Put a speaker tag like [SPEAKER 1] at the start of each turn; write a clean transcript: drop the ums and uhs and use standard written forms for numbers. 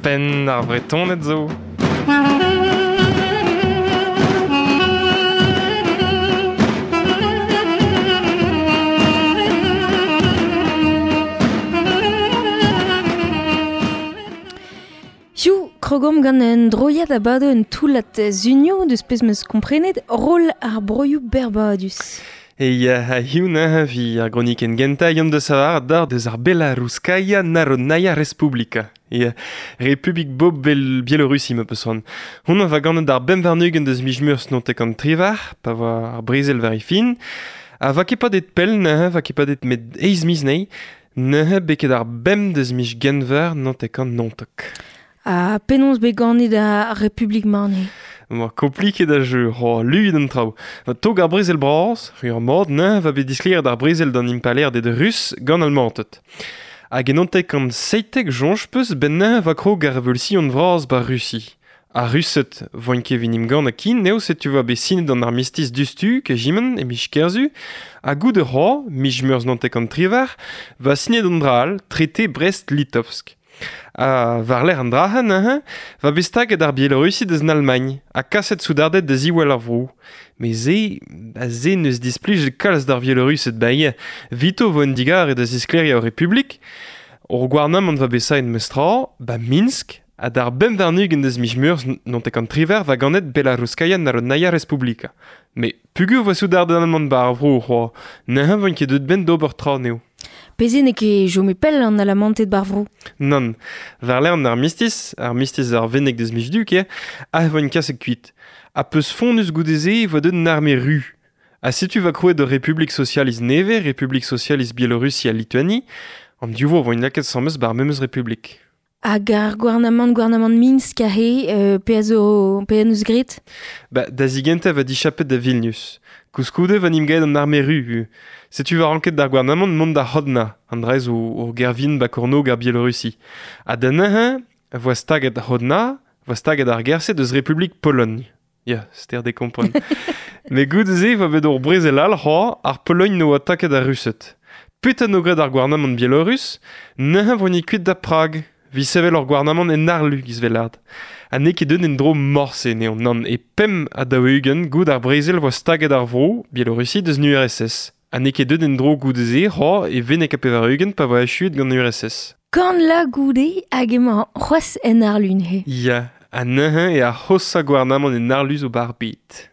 [SPEAKER 1] Penn ar Vretoned zo.
[SPEAKER 2] Hiziv, krogomp gant un droiad a bado un toullad sunioù deus pezh 'm eus komprenet roll ar broioù berrbadus.
[SPEAKER 1] E ya, hiziv neuze vi ar gronikenn gentañ yomp da savar d'ar deus ar Belarouskaya Narodnaya Respublika. Ya, Republik Bob Bel Bielorussi ma peus c'hoant. Hon va ganet d'ar bemp warn-ugent deus miz Meurzh nontek an triwec'h, pa voa ar brezel war e fin. Ha va ket padet pell neuze, va ket padet met eizh miz anezhi, neuze beket ar bemp deus miz Genver nontek an 19.
[SPEAKER 2] Ha penaos bet ganet ar Republik-mañ neuze?
[SPEAKER 1] Oa kompliket ar jeu, oh, luit an traoù. Va tog ar brezel bras, ur mod neuze va bet disklêriet ar brezel d'an impalaerded rus gant Almanted. Hag en 1917 soñj peus ben neuze va krog ar revolution vras ba Russi. Ar Rused voint ket evit emgann kin eo setu va bet sinet an armistiz diouzhtu kejimen e miz Kerzu ha goude c'hoazh, miz Meurzh 1918, va sinet an dra all, trete Brest-Litovsk. Ha war-lerc'h an dra-se neuze, va bet staget ar Bielorussi deus an Almagn ha kaset soudarded da ziwall ar vro. Met se, ba se n'eus displijet kalz d'ar Vielorused ba ivez. 'Vito 'vo un digarez da zisklêriañ ur republik. Hor gouarnamant va bet saet memes-tra, ba Minsk, ha d'ar 25 deus miz Meurzh 1918 va ganet Belarouskaya Narodnaya Respublika. Met peogwir 'voa soudarded alman 'ba ar vro c'hoazh, neuze 'voint ket deuet 'benn d'ober tra anezho.
[SPEAKER 2] Pezh n'eo ket chome pell an Alamanted 'bar vro.
[SPEAKER 1] Nann. War-lerc'h an armistiz, armistiz ar Venneg deus miz Du ket, aet 'voint kaset kuit. Ha peus fonnus goude-se e voa deuet an arme ru. Ha setu 'va krouet ur Republik Sosialist nevez, Republik Sosialist Bielorussi ha Lituani. An div vro 'voint lakaet asambles 'bar memes Republik.
[SPEAKER 2] Hag ar gouarnamant, gouarnamant Minsk aze, pe a zo, pe en deus graet?
[SPEAKER 1] Ba, da zigentañ va dichapet da Vilnius. Koulskoude va n'im gaet an arme ru. Setu va ranket d'ar gouarnamant mont da Hodna, an dra zo ur gêr-vihan ba kornôg ar Bielorussi. Ha da neuze voa staget Hodna, voa staget ar gêr-se deus Republik Pologn. Ya, ster de kompren. Met goude-se e voa bet ur brezel all c'hoazh, ar Pologn 'noa taket ar Rused. Petra 'no graet ar gouarnamant bielorus? Neuze 'vo-ni kuit da Prag, 'vit sevel ur gouarnamant en harlu giz Vellard. Ha n'eo ket deuet en-dro morse anezhañ, nann, e 45 goude ar brezel 'voa staget ar vro, Bielorussi, deus an URSS. Ha n'eo ket deuet en-dro goude-se c'hoazh e 91 pa voa achuet gant an URSS.
[SPEAKER 2] Kant la goude hag emañ c'hoazh en harlu neuze.
[SPEAKER 1] Ya, ha neuze eo ar c'hoshañ gouarnamant en harlu zo 'ba ar bed.